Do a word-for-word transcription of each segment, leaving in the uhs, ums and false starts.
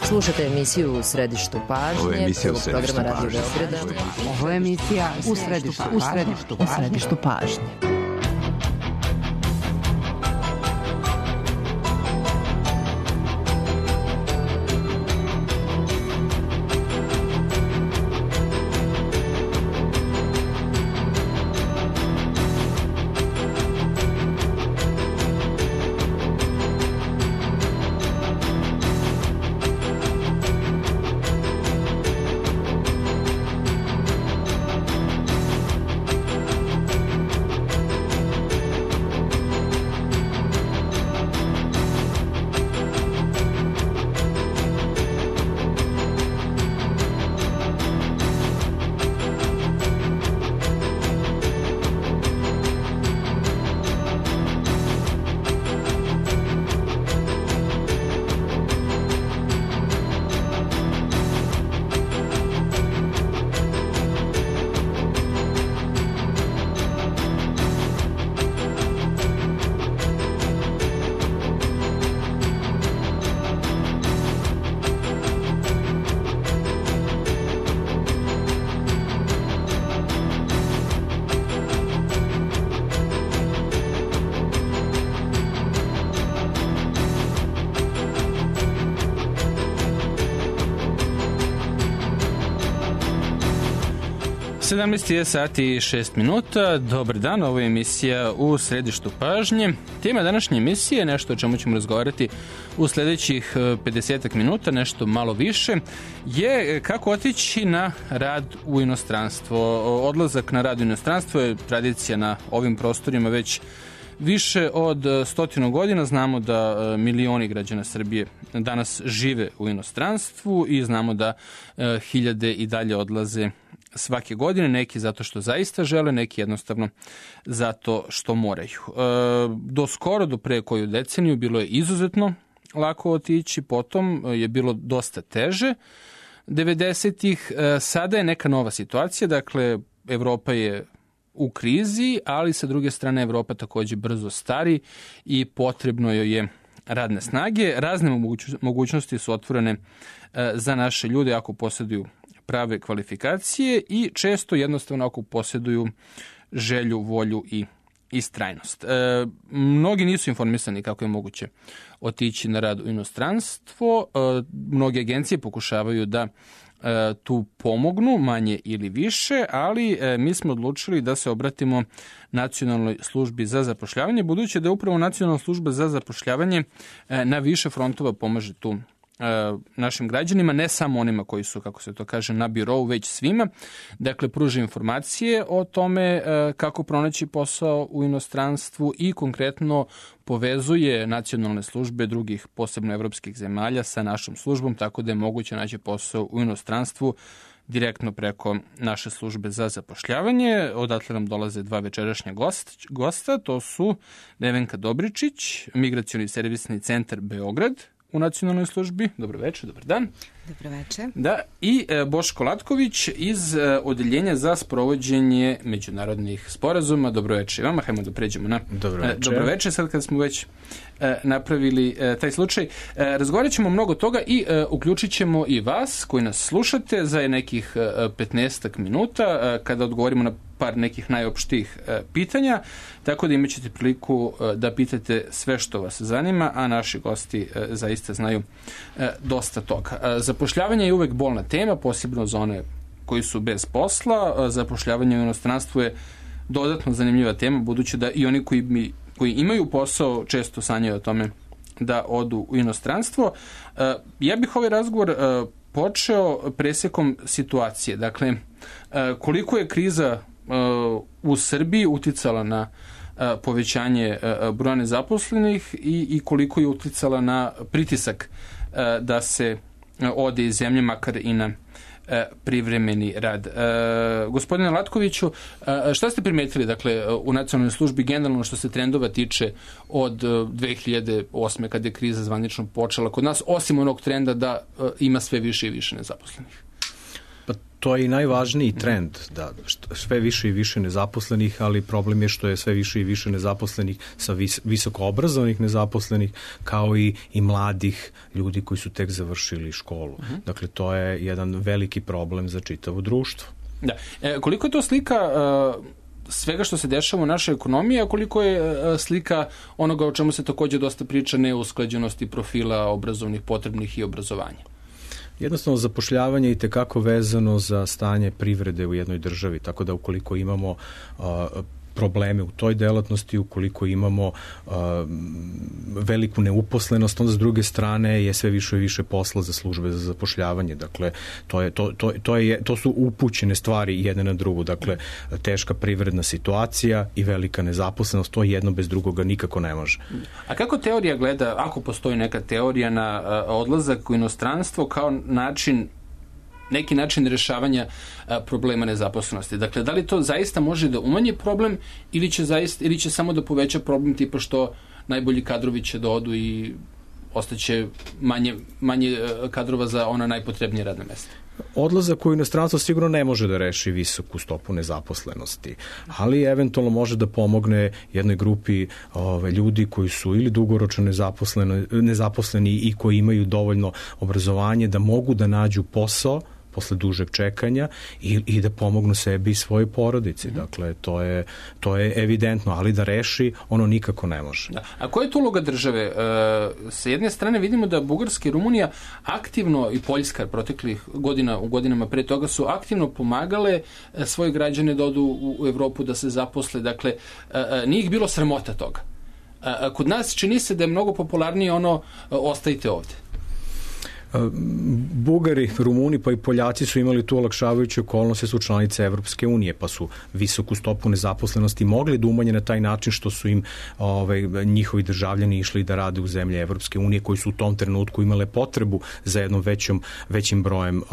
Slušate emisiju U središtu pažnje. Ovo je emisija U središtu pažnje. Ovo je emisija U središtu pažnje. U središtu pažnje. sedamnaest je sati i šest minuta. Dobar dan, ovo je emisija U središtu pažnje. Tema današnje emisije, nešto o čemu ćemo razgovarati u sljedećih pedesetak minuta, nešto malo više, je kako otići na rad u inostranstvo. Odlazak na rad u inostranstvo je tradicija na ovim prostorima već više od stotinu godina. Znamo da milioni građana Srbije danas žive u inostranstvu i znamo da hiljade i dalje odlaze svake godine, neki zato što zaista žele, neki jednostavno zato što moraju. Do skoro, do pre koju deceniju, bilo je izuzetno lako otići, potom je bilo dosta teže. devedesetih sada je neka nova situacija, dakle Evropa je u krizi, ali sa druge strane Evropa također brzo stari i potrebno joj je radne snage. Razne mogućnosti su otvorene za naše ljude ako posjeduju prave kvalifikacije i često jednostavno ako posjeduju želju, volju i istrajnost. E, mnogi nisu informisani kako je moguće otići na rad u inostranstvo. E, mnoge agencije pokušavaju da e, tu pomognu, manje ili više, ali e, mi smo odlučili da se obratimo Nacionalnoj službi za zapošljavanje, budući da je upravo Nacionalna služba za zapošljavanje e, na više frontova pomaže tu našim građanima, ne samo onima koji su, kako se to kaže, na birou, već svima. Dakle, pruža informacije o tome kako pronaći posao u inostranstvu i konkretno povezuje nacionalne službe drugih, posebno evropskih zemalja, sa našom službom, tako da je moguće naći posao u inostranstvu direktno preko naše službe za zapošljavanje. Odatle nam dolaze dva večerašnja gost, gosta, to su Nevenka Dobričić, Migracioni servisni centar Beograd u nacionalnoj službi. Dobro večer, dobar dan. Dobro večer. Da, i e, Boško Latković iz e, Odeljenja za sprovođenje međunarodnih sporazuma. Dobro večer vama, hajmo da pređemo na dobro večer. E, dobro večer, sad kad smo već e, napravili e, taj slučaj. E, razgovarat ćemo mnogo toga i e, uključit ćemo i vas koji nas slušate za nekih e, petnaestak minuta e, kada odgovorimo na par nekih najopštijih e, pitanja, tako da imat ćete priliku e, da pitate sve što vas zanima, a naši gosti e, zaista znaju e, dosta toga. E, zapošljavanje je uvek bolna tema, posebno za one koji su bez posla. E, zapošljavanje u inostranstvu je dodatno zanimljiva tema, budući da i oni koji, mi, koji imaju posao često sanjaju o tome da odu u inostranstvo. E, ja bih ovaj razgovor e, počeo presekom situacije. Dakle, e, koliko je kriza u Srbiji uticala na povećanje broja nezaposlenih i, i koliko je uticala na pritisak da se ode iz zemlje, makar i na privremeni rad. E, gospodine Latkoviću, šta ste primetili dakle, u nacionalnoj službi generalno što se trendova tiče od dve hiljade osme kada je kriza zvanično počela kod nas, osim onog trenda da ima sve više i više nezaposlenih? Pa To je i najvažniji trend, da sve više i više nezaposlenih, ali problem je što je sve više i više nezaposlenih sa vis, visoko obrazovanih nezaposlenih, kao i, i mladih ljudi koji su tek završili školu. Uh-huh. Dakle, to je jedan veliki problem za čitavo društvo. Da. E, koliko je to slika uh, svega što se dešava u našoj ekonomiji, a koliko je uh, slika onoga o čemu se takođe dosta priča, neusklađenosti profila obrazovnih, potrebnih i obrazovanja? Jednostavno, zapošljavanje je i tekako vezano za stanje privrede u jednoj državi, tako da ukoliko imamo uh, probleme u toj delatnosti, ukoliko imamo uh, veliku neuposlenost, onda s druge strane je sve više i više posla za službe za zapošljavanje. Dakle, to, je, to, to, to, je, to su upućene stvari jedne na drugu. Dakle, teška privredna situacija i velika nezaposlenost, to jedno bez drugoga nikako ne može. A kako teorija gleda, ako postoji neka teorija na uh, odlazak u inostranstvo kao način neki način rešavanja a, problema nezaposlenosti. Dakle, da li to zaista može da umanji problem ili će, zaista, ili će samo da poveća problem tipa što najbolji kadrovi će da odu i ostaće manje, manje kadrova za ona najpotrebnije radne mesta? Odlazak u inostranstvo sigurno ne može da reši visoku stopu nezaposlenosti, ali eventualno može da pomogne jednoj grupi ove, ljudi koji su ili dugoročno nezaposleni, nezaposleni i koji imaju dovoljno obrazovanje da mogu da nađu posao posle dužeg čekanja i, i da pomognu sebi i svojoj porodici. Dakle, to je, to je evidentno, ali da reši ono nikako ne može. Da. A koja je tu uloga države? E, sa jedne strane vidimo da Bugarska i Rumunija aktivno, i Poljska proteklih godina, u godinama pre toga su aktivno pomagale svoje građane da odu u, u Evropu, da se zaposle. Dakle, e, nije ih bilo sramota toga. E, kod nas čini se da je mnogo popularnije ono ostajte ovde. Bugari, Rumuni pa i Poljaci su imali tu olakšavajuće okolnosti, su članice Evropske unije, pa su visoku stopu nezaposlenosti mogli da umanje na taj način što su im ovaj, njihovi državljani išli da rade u zemlje Evropske unije koji su u tom trenutku imale potrebu za jednom većom, većim brojem uh,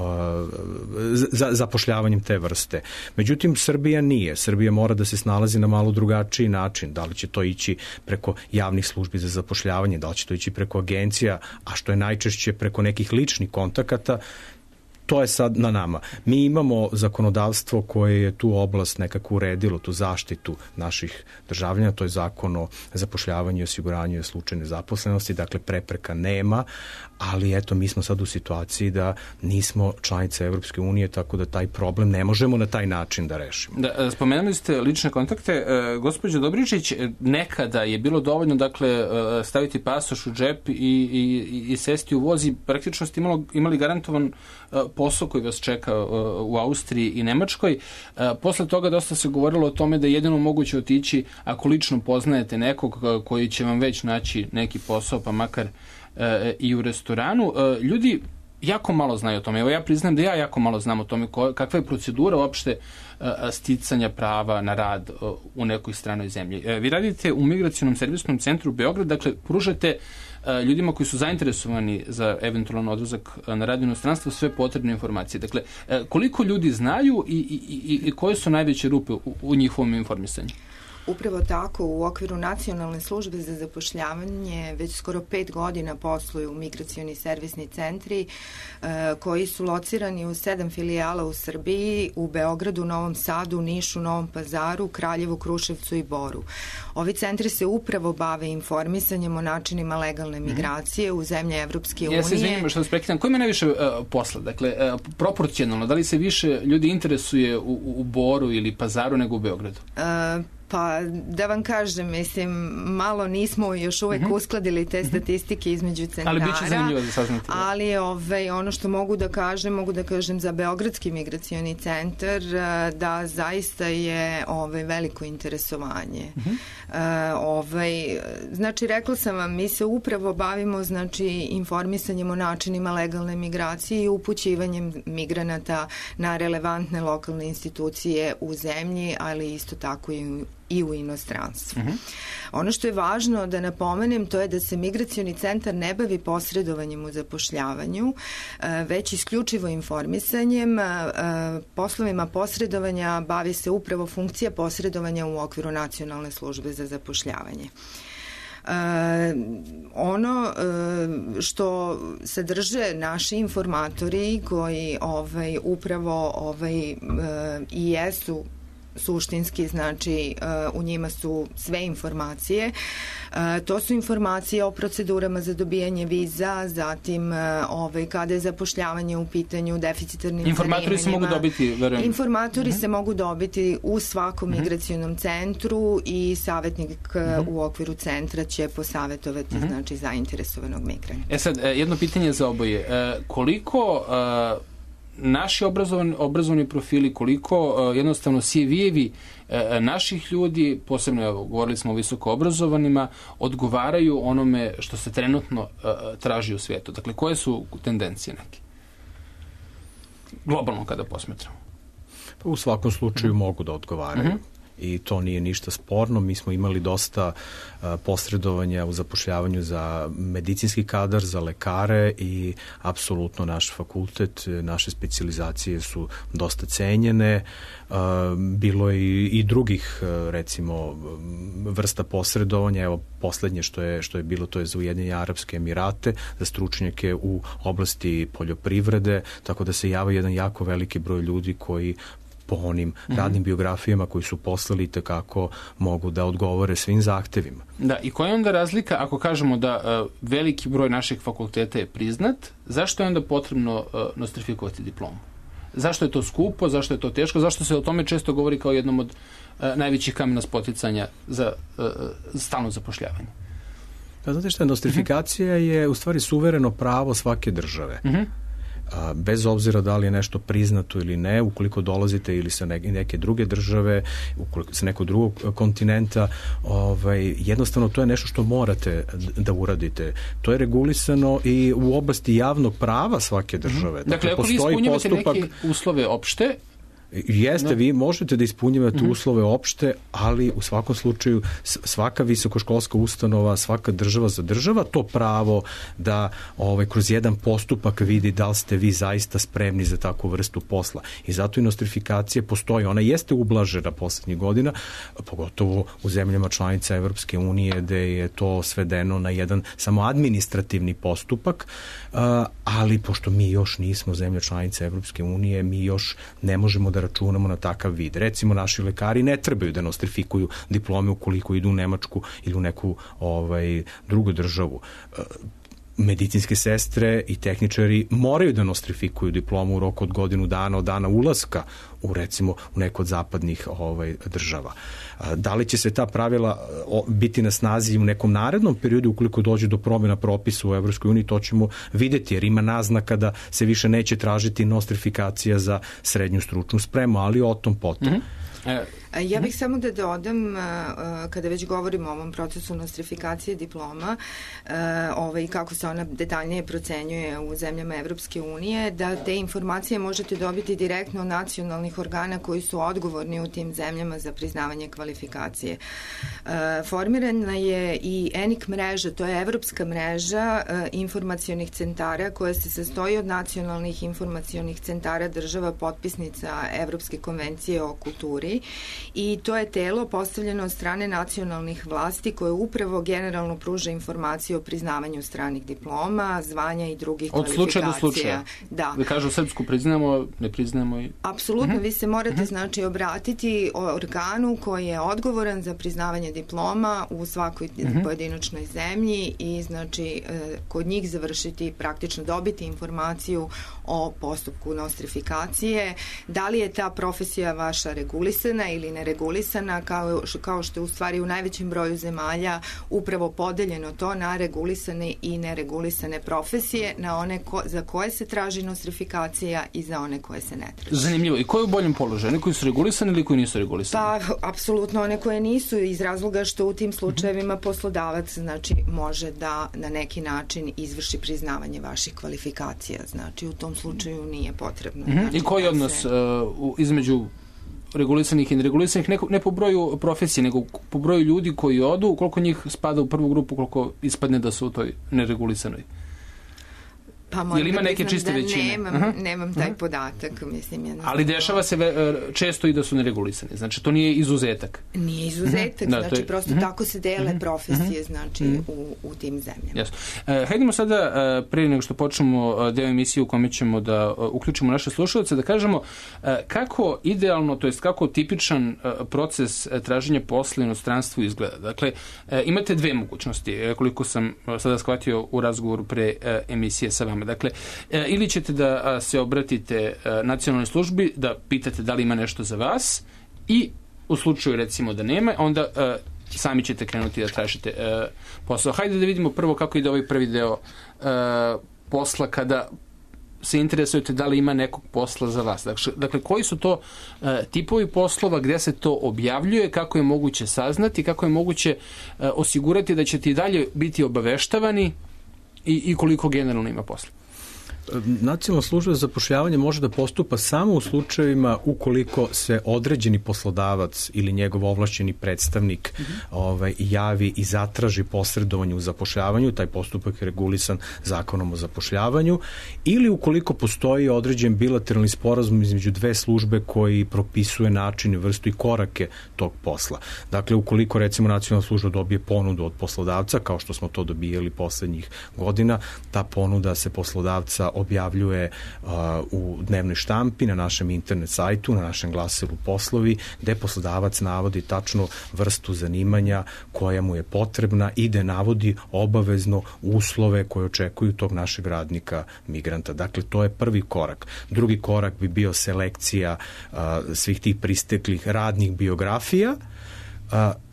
za, zapošljavanjem te vrste. Međutim, Srbija nije. Srbija mora da se snalazi na malo drugačiji način. Da li će to ići preko javnih službi za zapošljavanje, da li će to ići preko agencija, a što je najčešće preko nekih ličnih kontakata, to je sad na nama. Mi imamo zakonodavstvo koje je tu oblast nekako uredilo, tu zaštitu naših državljana, to je zakon o zapošljavanju i osiguranju slučajne zaposlenosti, dakle prepreka nema, ali eto mi smo sad u situaciji da nismo članice Evropske unije, tako da taj problem ne možemo na taj način da rešimo. Da, spomenuli ste lične kontakte. E, gospođo Dobričić, nekada je bilo dovoljno dakle staviti pasoš u džep i, i, i sesti u voz i praktično ste imalo, imali garantovan posao koji vas čeka u Austriji i Nemačkoj. Posle toga dosta se govorilo o tome da je jedino moguće otići ako lično poznajete nekog koji će vam već naći neki posao, pa makar i u restoranu. Ljudi jako malo znaju o tome. Evo ja priznam da ja jako malo znam o tome kakva je procedura uopšte sticanja prava na rad u nekoj stranoj zemlji. Vi radite u Migracionom servisnom centru u Beograd, dakle pružate ljudima koji su zainteresovani za eventualan odlazak na rad u inostranstvo sve potrebne informacije. Dakle, koliko ljudi znaju i, i, i koje su najveće rupe u, u njihovom informisanju? Upravo tako, u okviru Nacionalne službe za zapošljavanje već skoro pet godina posluju migracioni servisni centri e, koji su locirani u sedam filijala u Srbiji, u Beogradu, Novom Sadu, Nišu, Novom Pazaru, Kraljevu, Kruševcu i Boru. Ovi centri se upravo bave informisanjem o načinima legalne migracije mm-hmm. u zemlje Evropske unije. Ja se izvinim što vas prekitam. Ko ima najviše uh, posla? Dakle, uh, proporcionalno, da li se više ljudi interesuje u, u Boru ili Pazaru nego u Beogradu? Uh, Pa da vam kažem, mislim, malo nismo još uvek mm-hmm. uskladili te statistike između centara. Ali bit će zanimljivo da saznati. Ali ovaj, ono što mogu da kažem, mogu da kažem za Beogradski migracioni centar da zaista je ovaj, veliko interesovanje. Mm-hmm. Uh, ovaj, znači, rekla sam vam, mi se upravo bavimo znači, informisanjem o načinima legalne migracije i upućivanjem migranata na relevantne lokalne institucije u zemlji, ali isto tako i u i u inostranstvu. Uh-huh. Ono što je važno da napomenem to je da se migracioni centar ne bavi posredovanjem u zapošljavanju, već isključivo informisanjem. Poslovima posredovanja bavi se upravo funkcija posredovanja u okviru Nacionalne službe za zapošljavanje. Uh, ono što sadrže naši informatori koji ovaj, upravo ovaj, i jesu suštinski, znači u njima su sve informacije. To su informacije o procedurama za dobijanje viza, zatim ovaj, kada je zapošljavanje u pitanju, deficitarnim informatori se mogu dobiti, verujem. Informatori uh-huh. se mogu dobiti u svakom uh-huh. migracionom centru i savjetnik uh-huh. u okviru centra će posavetovati uh-huh. znači zainteresovanog migranta. E sad, jedno pitanje za oboje. Koliko naši obrazovani, obrazovani profili, koliko uh, jednostavno C V-evi uh, naših ljudi, posebno evo, govorili smo o visoko obrazovanima, odgovaraju onome što se trenutno uh, traži u svijetu. Dakle, koje su tendencije neke? Globalno kada posmetramo. Pa u svakom slučaju uh-huh. mogu da odgovaraju. Uh-huh. I to nije ništa sporno. Mi smo imali dosta uh, posredovanja u zapošljavanju za medicinski kadar, za lekare i apsolutno naš fakultet, naše specijalizacije su dosta cenjene. Uh, bilo je i, i drugih, uh, recimo, vrsta posredovanja. Evo, poslednje što je, što je bilo, to je za Ujedinjene Arapske Emirate, za stručnjake u oblasti poljoprivrede, tako da se java jedan jako veliki broj ljudi koji po onim mm-hmm. radnim biografijama koji su poslali tekako mogu da odgovore svim zahtevima. Da, i koja je onda razlika ako kažemo da uh, veliki broj naših fakulteta je priznat, zašto je onda potrebno uh, nostrifikovati diplomu? Zašto je to skupo, zašto je to teško, zašto se o tome često govori kao jednom od uh, najvećih kamena spoticanja za uh, stalno zapošljavanje? Pa znate šta, nostrifikacija mm-hmm. je u stvari suvereno pravo svake države. Mm-hmm. Bez obzira da li je nešto priznato ili ne, ukoliko dolazite ili sa neke druge države, ukoliko sa nekog drugog kontinenta, ovaj, jednostavno to je nešto što morate da uradite. To je regulisano i u oblasti javnog prava svake države. Dakle, dakle ako vi ispunjavate postupak... neke uslove opšte, Jeste, no. vi možete da ispunjavate mm-hmm. uslove opšte, ali u svakom slučaju svaka visokoškolska ustanova, svaka država zadržava to pravo da ovaj, kroz jedan postupak vidi da li ste vi zaista spremni za takvu vrstu posla. I zato i nostrifikacija postoji. Ona jeste ublažena poslednjih godina, pogotovo u zemljama članica Evropske unije, gde je to svedeno na jedan samo administrativni postupak, ali pošto mi još nismo zemlja članica Evropske unije, mi još ne možemo da računamo na takav vid. Recimo, naši lekari ne trebaju da nostrifikuju diplome ukoliko idu u Nemačku ili u neku ovaj, drugu državu. Medicinske sestre i tehničari moraju da nostrifikuju diplomu u roku od godinu dana od dana ulaska u, recimo, u neku od zapadnih ovaj, država. Da li će se ta pravila biti na snazi u nekom narednom periodu ukoliko dođe do promjena propisa u Evropskoj uniji, to ćemo videti, jer ima naznaka da se više neće tražiti nostrifikacija za srednju stručnu spremu, ali o tom potom. Mm-hmm. Ja bih samo da dodam, kada već govorimo o ovom procesu nostrifikacije diploma, ovaj, kako se ona detaljnije procenjuje u zemljama Evropske unije, da te informacije možete dobiti direktno od nacionalnih organa koji su odgovorni u tim zemljama za priznavanje kvalifikacije. Formirana je i E N I C mreža, to je evropska mreža informacionih centara koja se sastoji od nacionalnih informacionih centara država potpisnica Evropske konvencije o kulturi, i to je telo postavljeno od strane nacionalnih vlasti koje upravo generalno pruža informacije o priznavanju stranih diploma, zvanja i drugih od kvalifikacija. Od slučaja do slučaja. Da. Vi kažu, srpsku priznamo, ne priznamo i... Apsolutno, uh-huh. vi se morate uh-huh. znači obratiti organu koji je odgovoran za priznavanje diploma u svakoj uh-huh. pojedinačnoj zemlji i znači kod njih završiti, praktično dobiti informaciju o postupku nostrifikacije, da li je ta profesija vaša regulisana ili neregulisana, kao, kao što je u stvari u najvećem broju zemalja upravo podeljeno to na regulisane i neregulisane profesije, na one ko, za koje se traži nostrifikacija i za one koje se ne traži. Zanimljivo. I ko je u boljem položaju? Oni koji su regulisani ili koji nisu regulisani? Pa, apsolutno one koje nisu, iz razloga što u tim slučajevima poslodavac znači može da na neki način izvrši priznavanje vaših kvalifikacija. Znači u tom slučaju nije potrebno. Mm-hmm. Znači, I koji odnos se... uh, između regulisanih i neregulisanih, ne, ne po broju profesije, nego po broju ljudi koji odu, koliko njih spada u prvu grupu, koliko ispadne da su u toj neregulisanoj? Pa ili ima neke čiste da većine? Nemam, uh-huh. nemam taj uh-huh. podatak, mislim. Ja ali dešava se ve, često i da su neregulisani, znači to nije izuzetak. Nije izuzetak, uh-huh. znači da, je... prosto uh-huh. tako se dele uh-huh. profesije, znači uh-huh. u, u tim zemljama. Jasno. Uh, hajdemo sada, uh, prije nego što počnemo uh, deo emisije u kome ćemo da uh, uključimo naše slušalce, da kažemo uh, kako idealno, to jest kako tipičan uh, proces uh, traženja posla u inostranstvu izgleda. Dakle, uh, imate dve mogućnosti, uh, koliko sam uh, sada shvatio u razgovoru pre uh, emisije sa vama. Dakle, uh, ili ćete da uh, se obratite uh, nacionalnoj službi, da pitate da li ima nešto za vas i u slučaju recimo da nema, onda uh, sami ćete krenuti da tražite uh, posao. Hajde da vidimo prvo kako ide ovaj prvi deo uh, posla kada se interesujete da li ima nekog posla za vas. Dakle, dakle koji su to uh, tipovi poslova, gde se to objavljuje, kako je moguće saznati, kako je moguće uh, osigurati da ćete i dalje biti obaveštavani i, i koliko generalno ima posla. Nacionalna služba za zapošljavanje može da postupa samo u slučajevima ukoliko se određeni poslodavac ili njegov ovlašćeni predstavnik mm-hmm. ovaj, javi i zatraži posredovanje u zapošljavanju, taj postupak je regulisan zakonom o zapošljavanju, ili ukoliko postoji određen bilateralni sporazum između dve službe koji propisuje način, vrstu i korake tog posla. Dakle, ukoliko recimo nacionalna služba dobije ponudu od poslodavca, kao što smo to dobijali poslednjih godina, ta ponuda se poslodavca objavljuje uh, u dnevnoj štampi, na našem internet sajtu, na našem glasilu poslovi, gde poslodavac navodi tačno vrstu zanimanja koja mu je potrebna i da navodi obavezno uslove koje očekuju tog našeg radnika migranta. Dakle, to je prvi korak. Drugi korak bi bio selekcija uh, svih tih pristeklih radnih biografija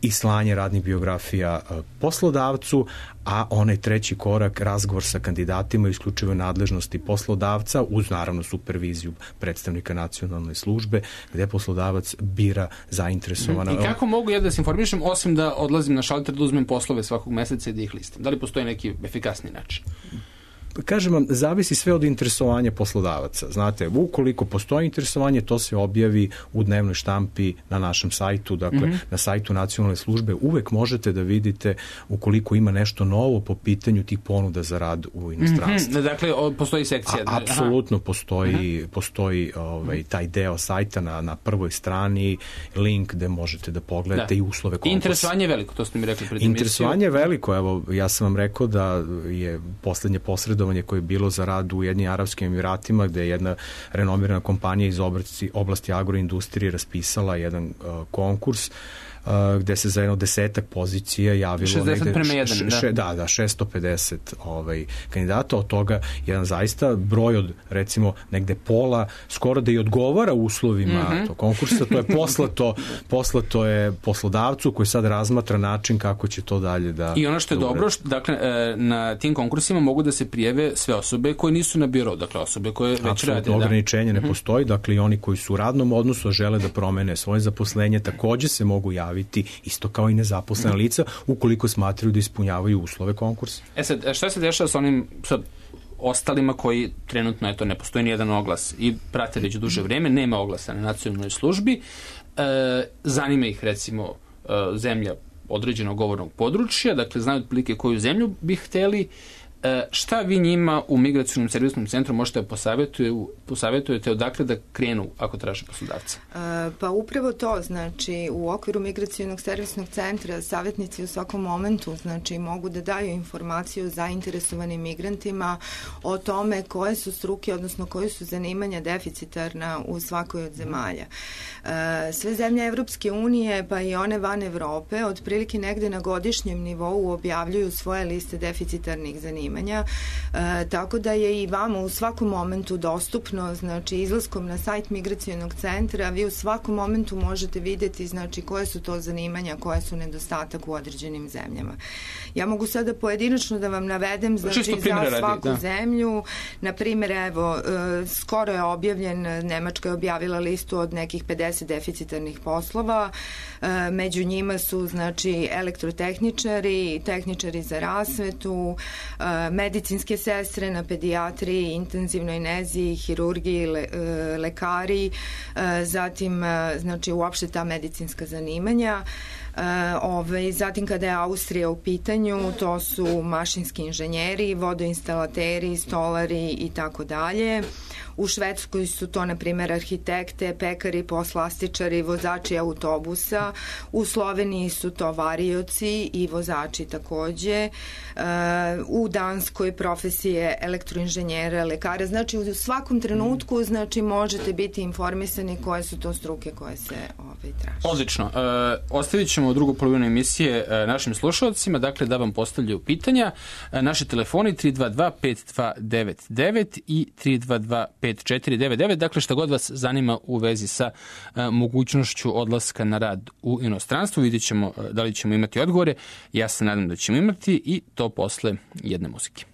i slanje radnih biografija poslodavcu, a onaj treći korak, razgovor sa kandidatima, isključivo nadležnosti poslodavca, uz naravno superviziju predstavnika nacionalne službe, gde poslodavac bira zainteresovana. I kako mogu ja da se informišem, osim da odlazim na šalter, da uzmem poslove svakog meseca i da ih listam? Da li postoji neki efikasni način? Kažem vam, zavisi sve od interesovanja poslodavaca. Znate, ukoliko postoji interesovanje, to se objavi u dnevnoj štampi na našem sajtu, dakle, mm-hmm. na sajtu nacionalne službe. Uvek možete da vidite ukoliko ima nešto novo po pitanju tih ponuda za rad u inostranstvu. Mm-hmm. Dakle, postoji sekcija. A, apsolutno postoji, mm-hmm. postoji ovaj, taj deo sajta na, na prvoj strani, link gde možete da pogledate da. I uslove konkursa. Interesovanje je veliko, to ste mi rekli pred emisiju. Interesovanje je veliko, evo, ja sam vam rekao da je poslednje posredovanje koje je bilo za rad u Ujedinjenim Arapskim Emiratima, gde je jedna renomirana kompanija iz oblasti, oblasti agroindustrije raspisala jedan uh, konkurs Uh, gde se za jedno desetak pozicija javilo šezdeset prema jedan, š, š, da, da, šesto pedeset ovaj, kandidata, od toga jedan zaista broj od recimo negde pola, skoro da i odgovara uslovima mm-hmm. tog konkursa, to je poslato, poslato je poslodavcu koji sad razmatra način kako će to dalje da... I ono što je da dobro, što, dakle, na tim konkursima mogu da se prijave sve osobe koje nisu na biro, dakle osobe koje već apsolutno rade. Apsolutno ograničenje da. ne postoji, dakle i oni koji su u radnom odnosu žele da promene svoje zaposlenje, takođe se mogu javiti isto kao i nezaposlena lica ukoliko smatraju da ispunjavaju uslove konkursa. E sad, šta se dešava sa onim sad, ostalima koji trenutno, eto, ne postoji nijedan oglas i prate već duže vreme, nema oglasa na nacionalnoj službi, e, zanima ih recimo e, zemlja određenog govornog područja, dakle znaju otprilike koju zemlju bi hteli. E, šta vi njima u migracionom servisnom centru možete da posavjetujete odakle da krenu ako traže poslodavca? E, pa upravo to, znači u okviru migracionog servisnog centra savjetnici u svakom momentu znači mogu da daju informaciju zainteresovanim migrantima o tome koje su struke, odnosno koje su zanimanja deficitarna u svakoj od zemalja. E, sve zemlje Evropske unije, pa i one van Evrope, otprilike negde na godišnjem nivou objavljuju svoje liste deficitarnih zanimanja. E, tako da je i vama u svakom momentu dostupno, znači izlaskom na sajt migracionog centra vi u svakom momentu možete videti znači koje su to zanimanja, koje su nedostatak u određenim zemljama. Ja mogu sada pojedinačno da vam navedem znači za svaku radi, da. zemlju. Na primjer, evo, e, skoro je objavljen, Nemačka je objavila listu od nekih pedeset deficitarnih poslova. E, među njima su znači elektrotehničari, tehničari za rasvetu, e, medicinske sestre na pedijatriji, intenzivnoj nezi, hirurgiji, le, lekari, zatim znači uopšte ta medicinska zanimanja. Ove, zatim kada je Austrija u pitanju, to su mašinski inženjeri, vodoinstalateri, stolari i tako dalje. U Švedskoj su to, na primjer, arhitekte, pekari, poslastičari, vozači autobusa. U Sloveniji su to varioci i vozači takođe. U Danskoj profesije elektroinženjera, lekara. Znači, u svakom trenutku znači, možete biti informisani koje su to struke koje se ovaj, traže. Odlično. E, ostavit ćemo drugu polovinu emisije e, našim slušalcima, dakle da vam postavljaju pitanja. E, naši telefoni tri dva dva pet dva devet devet i tri dva dva pet četiri devet devet, dakle šta god vas zanima u vezi sa e, mogućnošću odlaska na rad u inostranstvu. Vidjet ćemo e, da li ćemo imati odgovore. Ja se nadam da ćemo imati i to posle jedne muzike.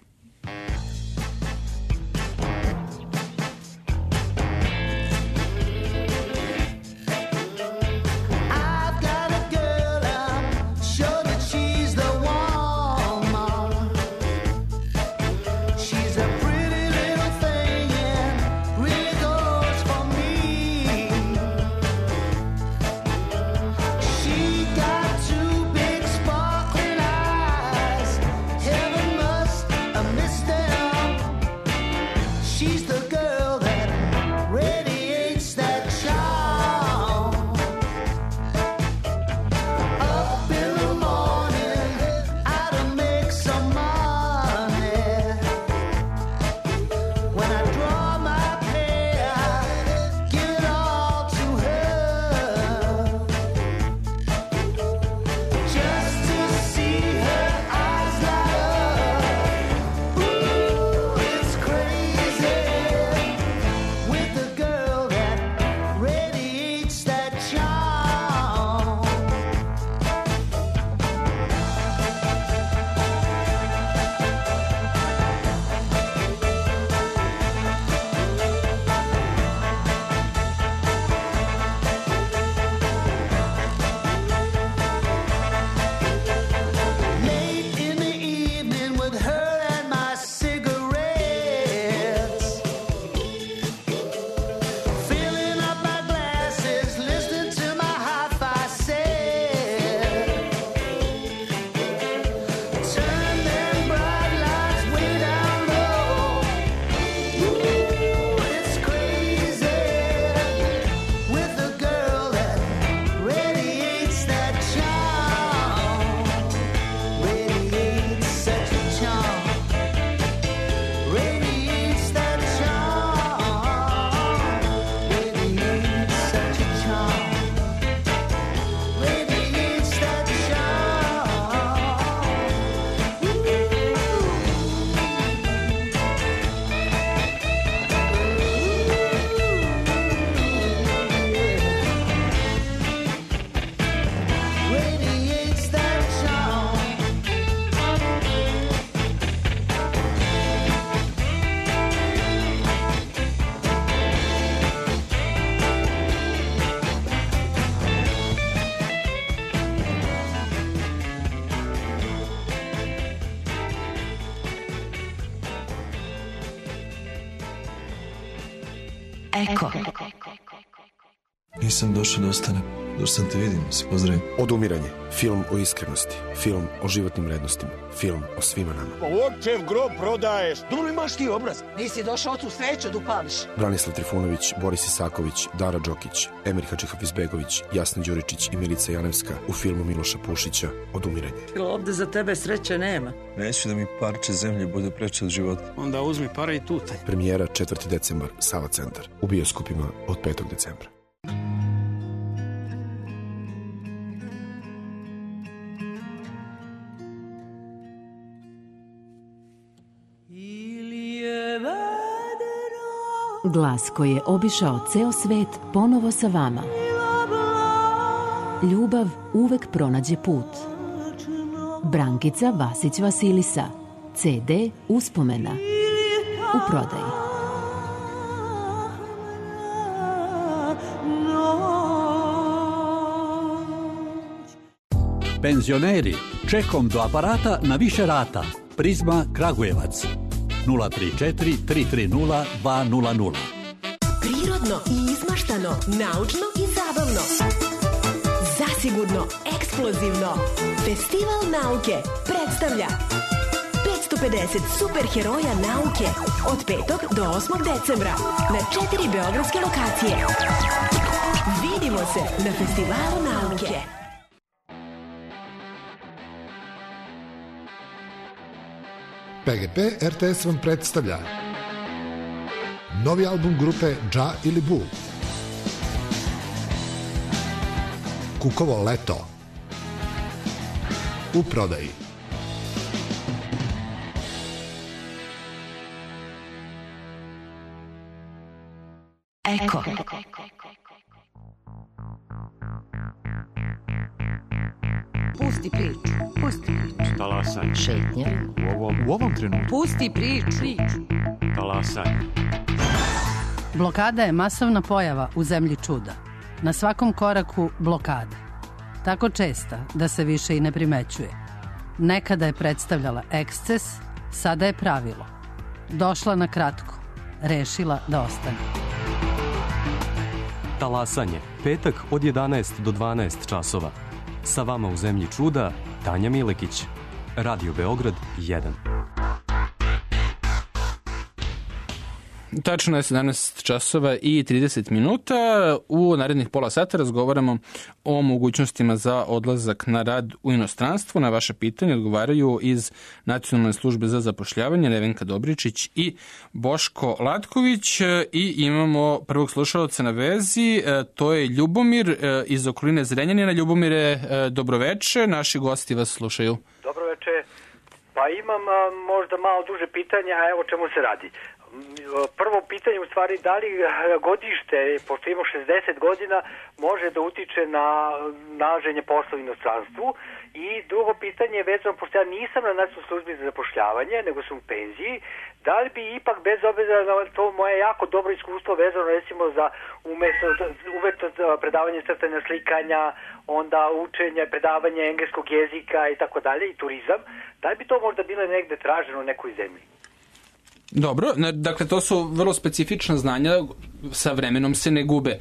Eko. Nisam došao da ostanem. Došao sam te vidim, se pozdravim. Odumiranje. Film o iskrenosti. Film o životnim vrednostima. Film o svima nama. Očev grob prodaješ. Dobro imaš ti obraz. Nisi došao tu sreću da upališ. Branislav Trifunović, Boris Isaković, Dara Đokić, Emir Hadžihafiz-Begović, Jasna Đuričić i Milica Janevska u filmu Miloša Pušića Odumiranje. Ovde za tebe sreće nema. Neću da mi parče zemlje bude preče od života. Onda uzmi pare i tutaj. Premijera četvrti decembar, Sava centar. U bioskopima od petog decembra. Glas koji je obišao ceo svet ponovo sa vama. Ljubav uvek pronađe put. Brankica Vasić Vasilisa. ce de Uspomena. U prodaji. Penzioneri, čekom do aparata na više rata. Prizma Kragujevac nula tri četiri tri tri nula dva nula nula. Prirodno i izmaštano, naučno i zabavno. Zasigurno eksplozivno. Festival nauke predstavlja petsto pedeset superheroja nauke od petog do osmog decembra na četiri beogradske lokacije. Vidimo se na Festivalu nauke. P G P R T S vam predstavlja novi album grupe Dža ili Bu. Kukovo leto. U prodaji. Eko. Pusti priču, pusti priču. Talasaj. Šetnje. U ovom, u ovom trenutku. Pusti priču. Talasaj. Blokada je masovna pojava u zemlji čuda. Na svakom koraku blokada. Tako česta da se više i ne primećuje. Nekada je predstavljala eksces, sada je pravilo. Došla na kratko, rešila da ostane. Talasanje, petak od jedanaest do dvanaest časova. Sa vama u zemlji čuda, Tanja Milekić. Radio Beograd jedan. Tačno je sedamnaest časova i trideset minuta. U narednih pola sata razgovaramo o mogućnostima za odlazak na rad u inostranstvo. Na vaše pitanje odgovaraju iz Nacionalne službe za zapošljavanje Nevenka Dobričić i Boško Latković. I imamo prvog slušalca na vezi, to je Ljubomir iz okoline Zrenjanina. Ljubomire, dobroveče, naši gosti vas slušaju. Dobroveče, pa imam možda malo duže pitanja, a evo čemu se radi. Prvo pitanje u stvari, da li godište, pošto imamo šezdeset godina, može da utiče na nalaženje posla u inostranstvu? I drugo pitanje je vezano, pošto ja nisam na nacionalnoj službi za zapošljavanje, nego sam u penziji, da li bi ipak bez obzira na to moje jako dobro iskustvo vezano recimo za umesto, umesto predavanje crtanja, slikanja, onda učenje, predavanje engleskog jezika i tako dalje, i turizam, da li bi to možda bilo negde traženo u nekoj zemlji? Dobro, dakle to su vrlo specifična znanja, sa vremenom se ne gube. E,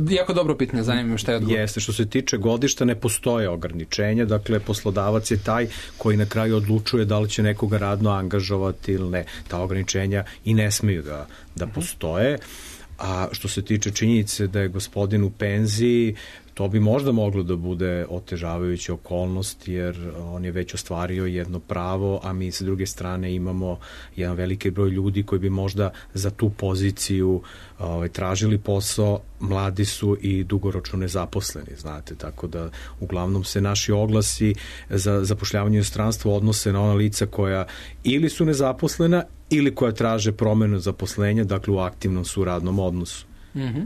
jako dobro pitanje, zanima me šta je odgovor. Jeste, što se tiče godišta ne postoje ograničenja, dakle poslodavac je taj koji na kraju odlučuje da li će nekoga radno angažovati ili ne. Ta ograničenja i ne smeju da, da postoje. A što se tiče činjenice da je gospodin u penziji, to bi možda moglo da bude otežavajuća okolnost, jer on je već ostvario jedno pravo, a mi sa druge strane imamo jedan veliki broj ljudi koji bi možda za tu poziciju ovaj, tražili posao, mladi su i dugoročno nezaposleni, znate, tako da uglavnom se naši oglasi za zapošljavanje u inostranstvu odnose na ona lica koja ili su nezaposlena ili koja traže promenu zaposlenja, dakle u aktivnom su radnom odnosu. Mhm.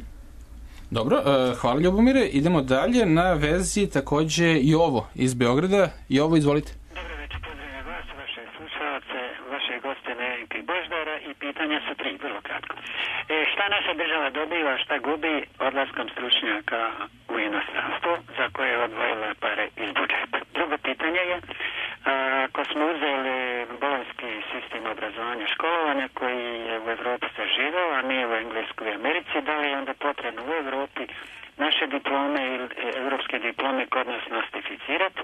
Dobro, hvala Ljubomire. Idemo dalje, na vezi takođe Jovo iz Beograda. Jovo, izvolite. Dobro večer, pozdravljam vas, vaše slušalce, vaše goste Nevenke i Boždara, i pitanja su tri, vrlo kratko. E, šta naša država dobiva, šta gubi odlaskom stručnjaka u inostranstvo, za koje je odvojila pare iz budžeta? Drugo pitanje je, ako smo uzeli bolonjski sistem obrazovanja školovanja koji je u Evropi zaživao, a mi u Engleskoj i Americi, da li je onda potrebno u Evropi naše diplome ili evropske diplome kod nas nostrificirati?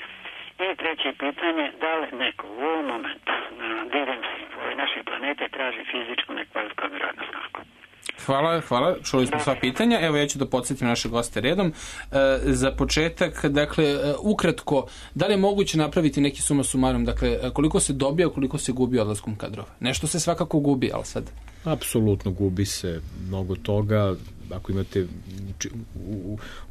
I treće pitanje, da li neko u ovom momentu na diljem ove naše planete traži fizičku nekvalifikovanu radnu snagu? Hvala, hvala. Čuli smo sva pitanja. Evo ja ću da podsjetim naše goste redom. E, za početak, dakle, ukratko, da li je moguće napraviti neki suma sumarum? Dakle, koliko se dobija, koliko se gubi odlaskom kadrova? Nešto se svakako gubi, ali sad... Apsolutno gubi se mnogo toga. Ako imate,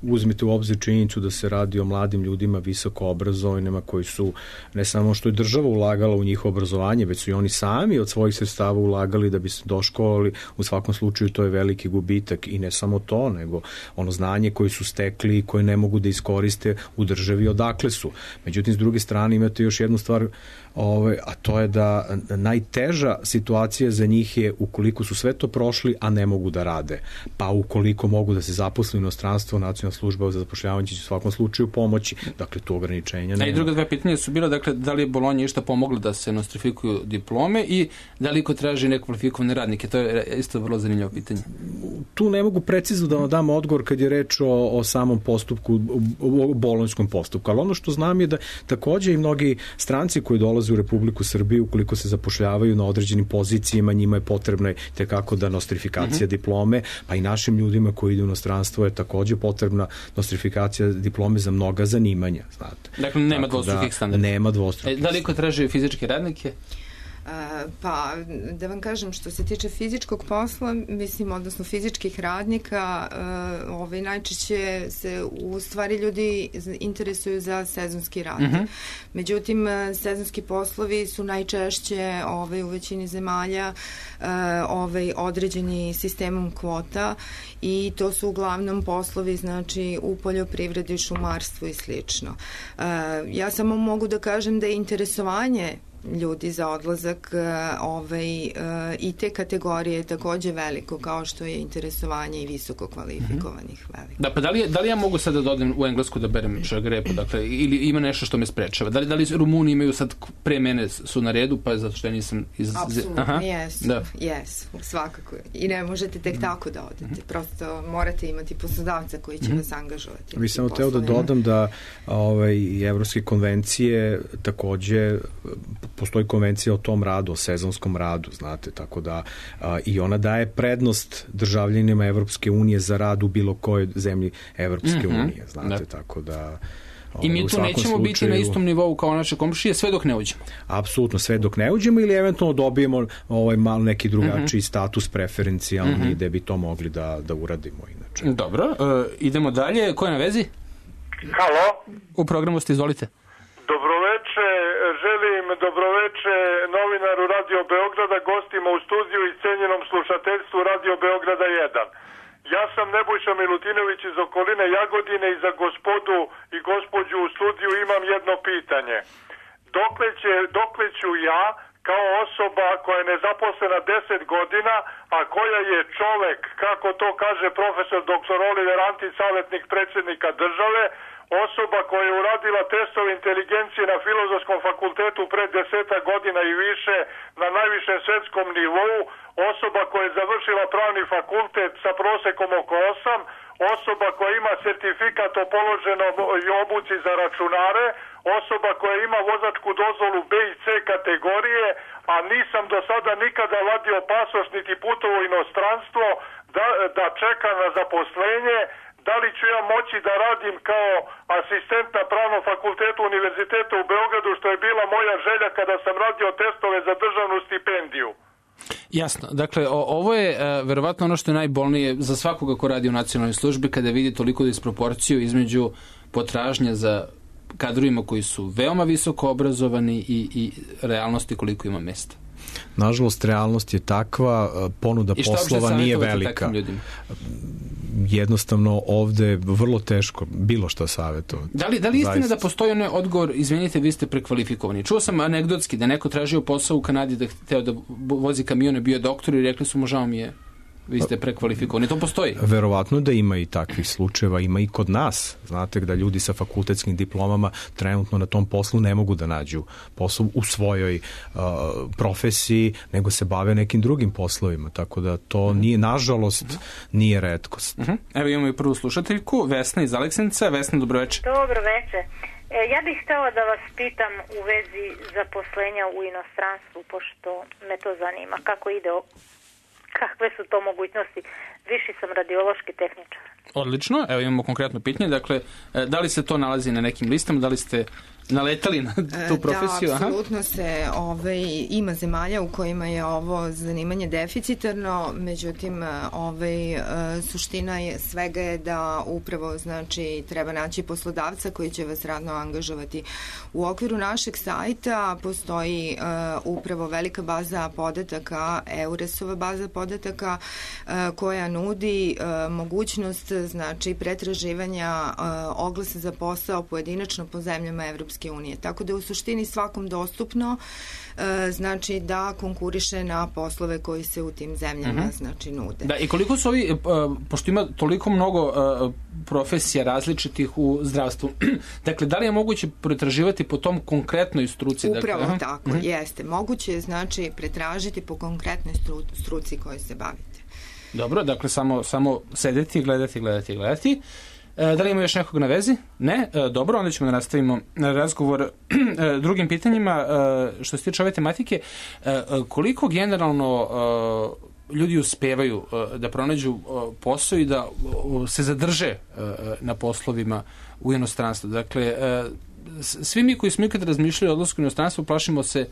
uzmete u obzir činjenicu da se radi o mladim ljudima visoko obrazovanima koji su ne samo što je država ulagala u njihovo obrazovanje, već su i oni sami od svojih sredstava ulagali da bi se doškolovali. U svakom slučaju to je veliki gubitak, i ne samo to, nego ono znanje koje su stekli i koje ne mogu da iskoriste u državi odakle su. Međutim, s druge strane imate još jednu stvar ovaj, a to je da najteža situacija za njih je ukoliko su sve to prošli, a ne mogu da rade. Pa ukoliko mogu da se zaposle u inostranstvo, nacionalna služba za zapošljavanje će u svakom slučaju pomoći. Dakle, tu ograničenja nema. A i druga dva pitanja su bila, dakle, da li je Bolonja išta pomogla da se nostrifikuju diplome i da li ko traži nekvalifikovane radnike? To je isto vrlo zanimljivo pitanje. Tu ne mogu precizno da vam dam odgovor kad je reč o, o samom postupku, o bolonjskom postupku, ali ono što znam je da takođe i mnogi stranci koji dolaze u Republiku Srbiju, ukoliko se zapošljavaju na određenim pozicijama, njima je potrebna tekako da nostrifikacija mm-hmm. diplome, pa i našim ljudima koji idu u inostranstvo je takođe potrebna nostrifikacija diplome za mnoga zanimanja, znate. Dakle, nema dvostrukih standarda. Nema dvostrukih. E, da li ko traži fizičke radnike? Pa, da vam kažem, što se tiče fizičkog posla, mislim, odnosno fizičkih radnika, ovaj, najčešće se u stvari ljudi interesuju za sezonski rad. Mm-hmm. Međutim, sezonski poslovi su najčešće ovaj, u većini zemalja ovaj, određeni sistemom kvota i to su uglavnom poslovi, znači, u poljoprivredi, šumarstvu i slično. Ja samo mogu da kažem da je interesovanje ljudi za odlazak ovaj, i te kategorije je takođe veliko, kao što je interesovanje i visoko kvalifikovanih mm-hmm. veliko. Da, pa da li, da li ja mogu sada da odem u Englesku da berem šargarepu, dakle, ili ima nešto što me sprečava? Da li, da li Rumuni imaju sad pre mene su na redu, pa zato što ja nisam iz... Apsolutno, jesu, da. jesu, svakako. I ne možete tek tako da odete. Mm-hmm. Prosto morate imati poslodavca koji će mm-hmm. vas angažovati. Vi samo teo da dodam da ovaj, evropske konvencije takođe postoji konvencija o tom radu, o sezonskom radu, znate, tako da a, i ona daje prednost državljanima Evropske unije za rad u bilo kojoj zemlji Evropske mm-hmm. unije, znate, da. Tako da... I mi tu nećemo slučaju, biti na istom nivou kao naše komšije sve dok ne uđemo. Apsolutno, sve dok ne uđemo ili eventualno dobijemo ovaj malo neki drugačiji mm-hmm. status preferencijalni mm-hmm. gde bi to mogli da, da uradimo inače. Dobro, uh, idemo dalje. Ko je na vezi? Halo? U programu ste, izvolite. Dobroveče, želim dobroveče novinaru Radio Beograda, gostima u studiju i cenjenom slušateljstvu Radio Beograda jedan. Ja sam Nebojša Milutinović iz okoline Jagodine i za gospodu i gospođu u studiju imam jedno pitanje. Dokle, će, dokle ću ja kao osoba koja je nezaposlena deset godina, a koja je čovek, kako to kaže profesor doktor Oliver Antić, savjetnik predsjednika države, osoba koja je uradila testove inteligencije na Filozofskom fakultetu pre deseta godina i više na najvišem svetskom nivou, osoba koja je završila pravni fakultet sa prosekom oko osam, osoba koja ima sertifikat o položenom obuci za računare, osoba koja ima vozačku dozvolu B i C kategorije, a nisam do sada nikada vadio pasoš niti putovo inostranstvo da, da čeka na zaposlenje. Da li ću ja moći da radim kao asistent na Pravnom fakultetu Univerziteta u Beogradu, što je bila moja želja kada sam radio testove za državnu stipendiju? Jasno. Dakle, o, ovo je uh, verovatno ono što je najbolnije za svakoga ko radi u nacionalnoj službi, kada vidi toliko disproporciju između potražnje za kadrovima koji su veoma visoko obrazovani i, i realnosti koliko ima mesta. Nažalost, realnost je takva, ponuda poslova nije velika. Jednostavno ovde je vrlo teško bilo što savjetovati. Da li, da li istina da postoji onaj odgovor, izvinite, vi ste prekvalifikovani? Čuo sam anegdotski da neko tražio posao u Kanadi, da hteo da vozi kamione, bio doktor i rekli su mu, žao mi je, vi ste prekvalifikovani. To postoji? Verovatno da ima i takvih slučajeva, ima i kod nas. Znate da ljudi sa fakultetskim diplomama trenutno na tom poslu ne mogu da nađu posao u svojoj uh, profesiji, nego se bave nekim drugim poslovima. Tako da to nije, nažalost, nije retkost. Uh-huh. Evo imamo i prvu slušateljku, Vesna iz Aleksinca. Vesna, dobroveče. Dobroveče. E, ja bih htjela da vas pitam u vezi zaposlenja u inostranstvu, pošto me to zanima. Kako ide o kakve su to mogućnosti? Viši sam radiološki tehničar. Odlično, evo imamo konkretno pitanje. Dakle, da li se to nalazi na nekim listama, da li ste naletali na tu profesiju? Da, apsolutno se ovaj, ima zemalja u kojima je ovo zanimanje deficitarno, međutim ovaj, suština je, svega je da upravo znači, treba naći poslodavca koji će vas radno angažovati. U okviru našeg sajta postoji uh, upravo velika baza podataka, Euresova baza podataka uh, koja nudi uh, mogućnost znači, pretraživanja uh, oglasa za posao pojedinačno po zemljama Evropske Evropske unije. Tako da je u suštini svakom dostupno znači da konkuriše na poslove koji se u tim zemljama uh-huh. znači nude. Da, i koliko su ovi, pošto ima toliko mnogo profesija različitih u zdravstvu, dakle, da li je moguće pretraživati po tom konkretnoj struci? Upravo dakle, tako, uh-huh. jeste. Moguće je, znači, pretražiti po konkretnoj stru, struci kojoj se bavite. Dobro, dakle, samo, samo sedeti, gledati, gledati, gledati. Da li ima još nekog na vezi? Ne? Dobro, onda ćemo da nastavimo razgovor drugim pitanjima. Što se tiče ove tematike, koliko generalno ljudi uspevaju da pronađu posao i da se zadrže na poslovima u inostranstvu? Dakle, svi mi koji smo ikad razmišljali o odlasku u inostranstvo, plašimo se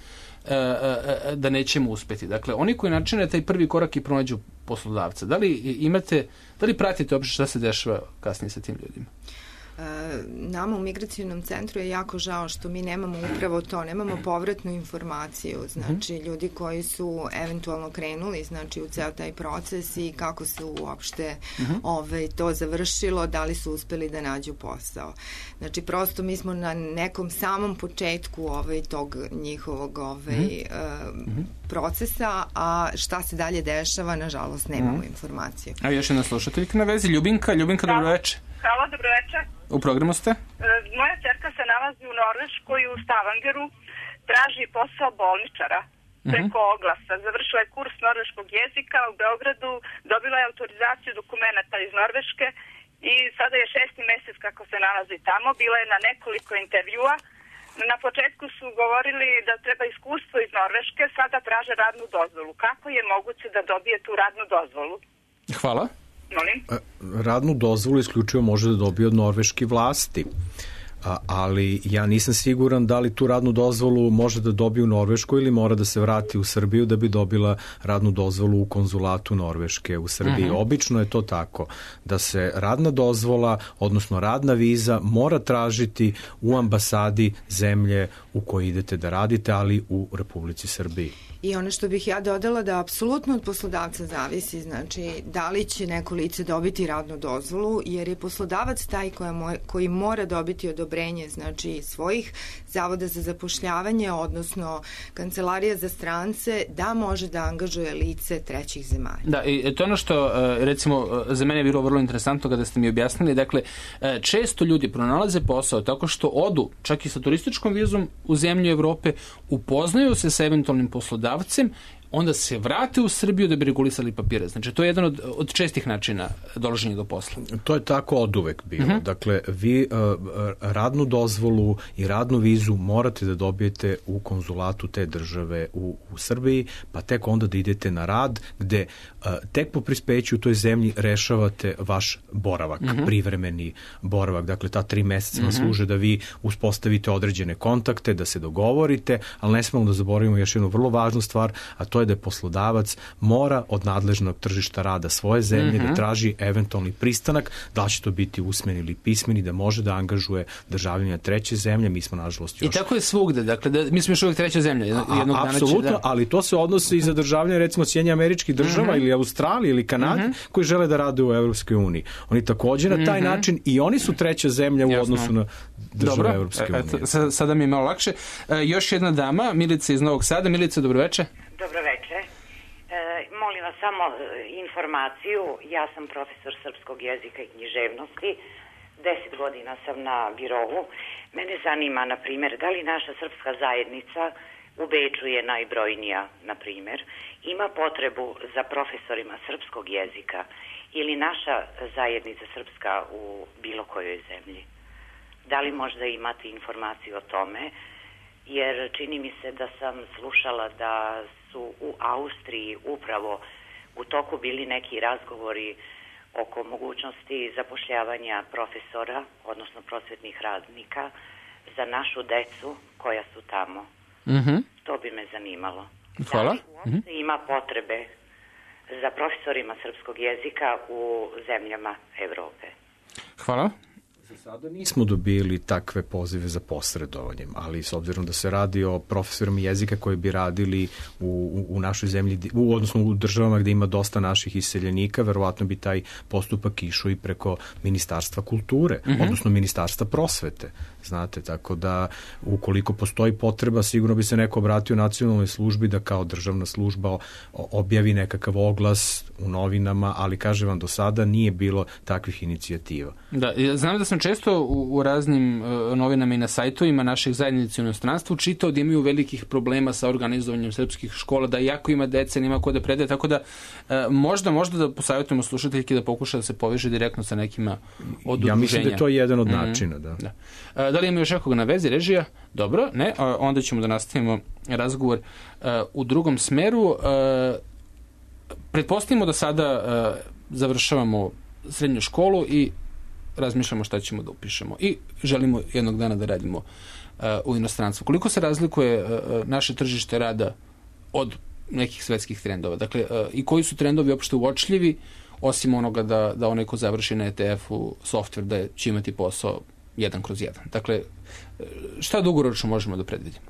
da nećemo uspeti. Dakle, oni koji načine taj prvi korak i pronađu poslodavca, da li imate, da li pratite uopšte šta se dešava kasnije sa tim ljudima? Nama u migracionom centru je jako žao što mi nemamo upravo to, nemamo povratnu informaciju, znači ljudi koji su eventualno krenuli znači u ceo taj proces i kako se uopšte uh-huh. ovaj, to završilo, da li su uspeli da nađu posao. Znači prosto mi smo na nekom samom početku ovaj, tog njihovog ovaj, uh-huh. uh, procesa, a šta se dalje dešava, nažalost nemamo uh-huh. informaciju. A još jedna slušateljka na vezi, Ljubinka. Ljubinka, dobro večer. Hvala, dobro večer. U programu ste? Moja ćerka se nalazi u Norveškoj u Stavangeru, traži posao bolničara preko uh-huh. oglasa. Završila je kurs norveškog jezika u Beogradu, dobila je autorizaciju dokumenta iz Norveške i sada je šesti mesec kako se nalazi tamo. Bila je na nekoliko intervjua. Na početku su govorili da treba iskustvo iz Norveške, sada traže radnu dozvolu. Kako je moguće da dobije tu radnu dozvolu? Hvala. Molim? Radnu dozvolu isključivo može da dobije od norveške vlasti, A, ali ja nisam siguran da li tu radnu dozvolu može da dobije u Norveškoj ili mora da se vrati u Srbiju da bi dobila radnu dozvolu u konzulatu Norveške u Srbiji. Uh-huh. Obično je to tako, da se radna dozvola, odnosno radna viza mora tražiti u ambasadi zemlje u kojoj idete da radite, ali u Republici Srbiji. I ono što bih ja dodala da apsolutno od poslodavca zavisi, znači da li će neko lice dobiti radnu dozvolu, jer je poslodavac taj koja moj, koji mora dobiti odobrenje, znači svojih zavoda za zapošljavanje, odnosno kancelarija za strance, da može da angažuje lice trećih zemalja. Da, i to je ono što, recimo, za mene je bilo vrlo interesantno kada ste mi objasnili, dakle, često ljudi pronalaze posao tako što odu, čak i sa turističkom vizom u zemlju Evrope, upoznaju se sa eventualnim poslodavcem, onda se vrate u Srbiju da bi regulisali papire. Znači, to je jedan od, od čestih načina dolaženja do posla. To je tako oduvek bilo. Uh-huh. Dakle, vi uh, radnu dozvolu i radnu vizu morate da dobijete u konzulatu te države u, u Srbiji, pa tek onda da idete na rad, gde uh, tek po prispeću u toj zemlji rešavate vaš boravak, uh-huh. privremeni boravak. Dakle, ta tri meseca vam uh-huh. služe da vi uspostavite određene kontakte, da se dogovorite, ali ne smemo da zaboravimo još jednu vrlo važnu stvar, a to je da poslodavac mora od nadležnog tržišta rada svoje zemlje mm-hmm. da traži eventualni pristanak, da će to biti usmeni ili pismeni, da može da angažuje državljanja treće zemlje. Mi smo nažalost još... I tako je svugde, dakle, da, mi smo još uvijek treća zemlja. Jednog a, dana apsolutno, će, da... ali to se odnosi i za državljanje, recimo, Sjedinjenih Američkih Država mm-hmm. ili Australije ili Kanade, mm-hmm. koji žele da rade u Evropskoj uniji. Oni također na taj mm-hmm. način i oni su treća zemlja u Jasno. Odnosu na države Evropske unije. Dobro, sada mi je malo lakše. E, još jedna dama, Milica iz Novog Sada. Milica, dobro večer. Dobro večer. E, molim vas samo informaciju. Ja sam profesor srpskog jezika i književnosti. Deset godina sam na birovu. Mene zanima, na primjer, da li naša srpska zajednica u Beču je najbrojnija, na primjer, ima potrebu za profesorima srpskog jezika ili naša zajednica srpska u bilo kojoj zemlji? Da li možda imate informaciju o tome? Jer čini mi se da sam slušala da su u Austriji upravo u toku bili neki razgovori oko mogućnosti zapošljavanja profesora, odnosno prosvetnih radnika, za našu decu koja su tamo. Mm-hmm. To bi me zanimalo. Hvala. Da li uopšte ima potrebe za profesorima srpskog jezika u zemljama Evrope? Hvala. Za sada nismo dobili takve pozive za posredovanjem, ali s obzirom da se radi o profesorima jezika koji bi radili u, u, u našoj zemlji, u, odnosno u državama gde ima dosta naših iseljenika, verovatno bi taj postupak išao i preko Ministarstva kulture, mm-hmm. odnosno Ministarstva prosvete. Znate, tako da ukoliko postoji potreba, sigurno bi se neko obratio nacionalnoj službi da kao državna služba objavi nekakav oglas u novinama, ali kaže vam, do sada nije bilo takvih inicijativa. Da, znam da sam često u, u raznim uh, novinama i na sajtovima naših zajednica u inostranstvu čitao da imaju velikih problema sa organizovanjem srpskih škola, da jako ima dece, nima ko da predaje, tako da uh, možda, možda da posavjetujemo slušateljke da pokuša da se poveže direktno sa nekima od udruženja. Ja mislim da je to jedan od mm-hmm. načina, da. da. Uh, da li ima još nekoga na vezi, režija? Dobro, ne, uh, onda ćemo da nastavimo razgovor uh, u drugom smeru. Uh, pretpostavimo da sada uh, završavamo srednju školu i razmišljamo šta ćemo da upišemo i želimo jednog dana da radimo uh, u inostranstvu. Koliko se razlikuje uh, naše tržište rada od nekih svetskih trendova? Dakle, uh, i koji su trendovi uopšte uočljivi, osim onoga da, da onaj ko završi na E T F-u softver da će imati posao jedan kroz jedan. Dakle, šta dugoročno možemo da predvidimo?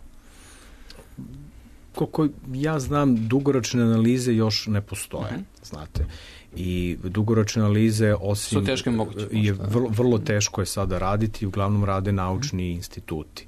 Koliko ja znam, dugoročne analize još ne postoje, uh-huh. znate. I dugoročne analize, osim su teške moguće, je vrlo, vrlo teško je sada raditi, uglavnom rade naučni uh-huh. instituti.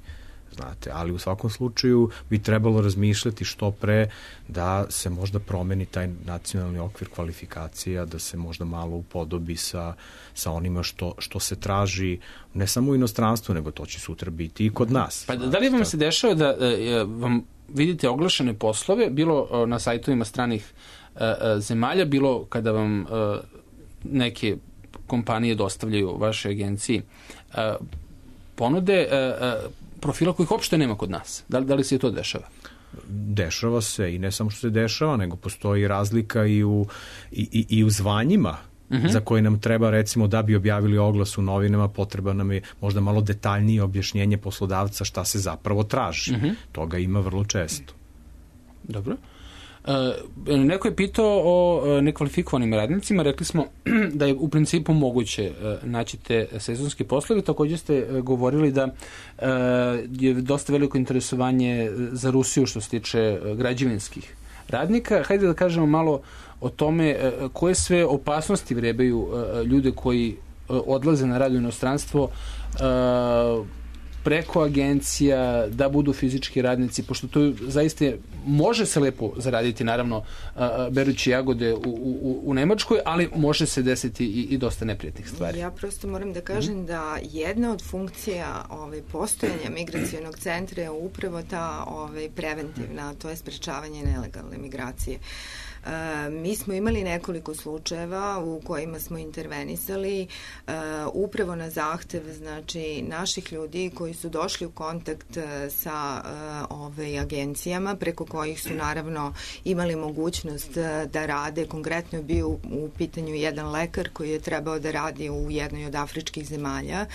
Znate, ali u svakom slučaju bi trebalo razmišljati što pre da se možda promeni taj nacionalni okvir kvalifikacija, da se možda malo upodobi sa, sa onima što, što se traži ne samo u inostranstvu, nego to će sutra biti i kod nas. Pa da li vam se dešava da e, vam vidite oglašene poslove, bilo e, na sajtovima stranih e, e, zemalja, bilo kada vam e, neke kompanije dostavljaju vaše agenciji e, ponude e, e, profila kojih uopšte nema kod nas. Da li, da li se to dešava? Dešava se i ne samo što se dešava, nego postoji razlika i u, i, i, i u zvanjima uh-huh. za koje nam treba, recimo, da bi objavili oglas u novinama, potreba nam je možda malo detaljnije objašnjenje poslodavca šta se zapravo traži. Uh-huh. Toga ima vrlo često. Dobro. E, neko je pitao o nekvalifikovanim radnicima, rekli smo da je u principu moguće naći te sezonske poslove, također ste govorili da e, je dosta veliko interesovanje za Rusiju što se tiče građevinskih radnika. Hajde da kažemo malo o tome e, koje sve opasnosti vrebaju e, ljude koji e, odlaze na rad u inostranstvo e, preko agencija, da budu fizički radnici, pošto to zaista može se lepo zaraditi, naravno, berući jagode u, u, u Nemačkoj, ali može se desiti i, i dosta neprijatnih stvari. Ja prosto moram da kažem mm-hmm. da jedna od funkcija ovaj, postojanja migracionog centra je upravo ta ovaj, preventivna, to je sprečavanje nelegalne migracije. Uh, mi smo imali nekoliko slučajeva u kojima smo intervenisali uh, upravo na zahtev, znači, naših ljudi koji su došli u kontakt uh, sa uh, ove agencijama preko kojih su naravno imali mogućnost uh, da rade. Konkretno je bio u, u pitanju jedan lekar koji je trebao da radi u jednoj od afričkih zemalja.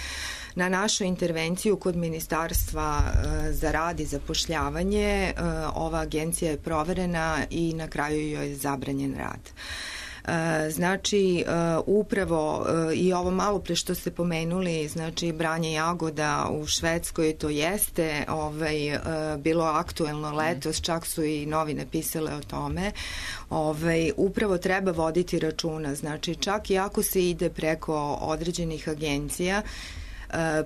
Na našu intervenciju kod Ministarstva uh, za rad i zapošljavanje uh, ova agencija je proverena i na kraju joj je zabranjen rad. Znači, upravo i ovo malo pre što ste pomenuli, znači branje jagoda u Švedskoj, to jeste ovaj, bilo aktuelno letos, čak su i novine pisale o tome. Ovaj, upravo treba voditi računa, znači čak i ako se ide preko određenih agencija,